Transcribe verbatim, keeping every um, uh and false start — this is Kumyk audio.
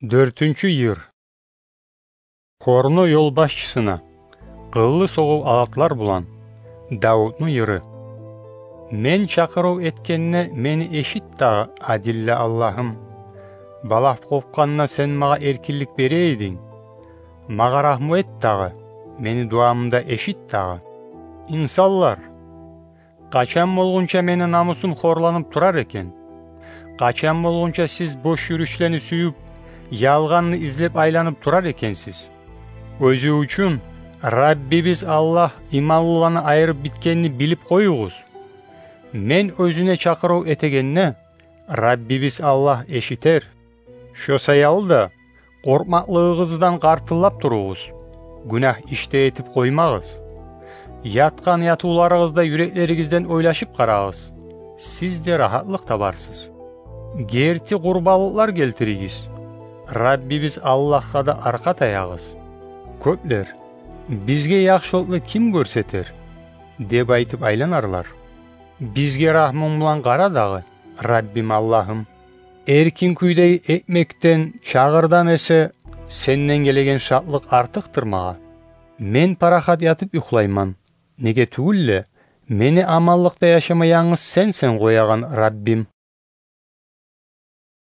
Дёртюнчю йыр. Хорну ёлбашчысына, къыллы согъув алатлар булан. Давутну йыры. Мен чакъырыв этгенде мени эшит дагъы, адилли Аллагьым. Балагь къопгъанда сен магъа эркинлик бере эдинг. Магъа рагьму эт дагъы, мени дуамны да эшит дагъы. Инсанлар, къачан болгъунча мени намусум хорланып турар экен? Къачан болгъунча сиз бош юрюшлени сююп, ялгъанны излеп айланып турар экенсиз? Оьзю учун Раббибиз Аллагь иманлыланы айырып битгенни билип къоюгъуз. Мен оьзюне чакъырыв этегенде, Раббибиз Аллагь эшитер. Шо саялы да, къоркъмакълыгъыгъыздан къартыллап туругъуз, гюнагь иш де этип къоймагъыз. Ятгъан ятывларыгъызда юреклеригизден ойлашып къарагъыз, сиз де рагьатлыкъ табарсыз. Герти къурбанлыкълар гелтиригиз, Раббибиз Аллагьгъа да аркъа таягъыз. Кёплер: «Бизге яхшылыкъны ким гёрсетер?» – деп айтып айланарлар. «Бизге рагьмунг булан къара дагъы, Раббим Аллагьым. Эркин кюйдеги экмекден, чагъырдан эсе сенден гелеген шатлыкъ артыкъдыр магъа. Мен парахат ятып юхлайман, неге тюгюл де, мени аманлыкъда яшама янгыз сенсен къоягъан, Раббим.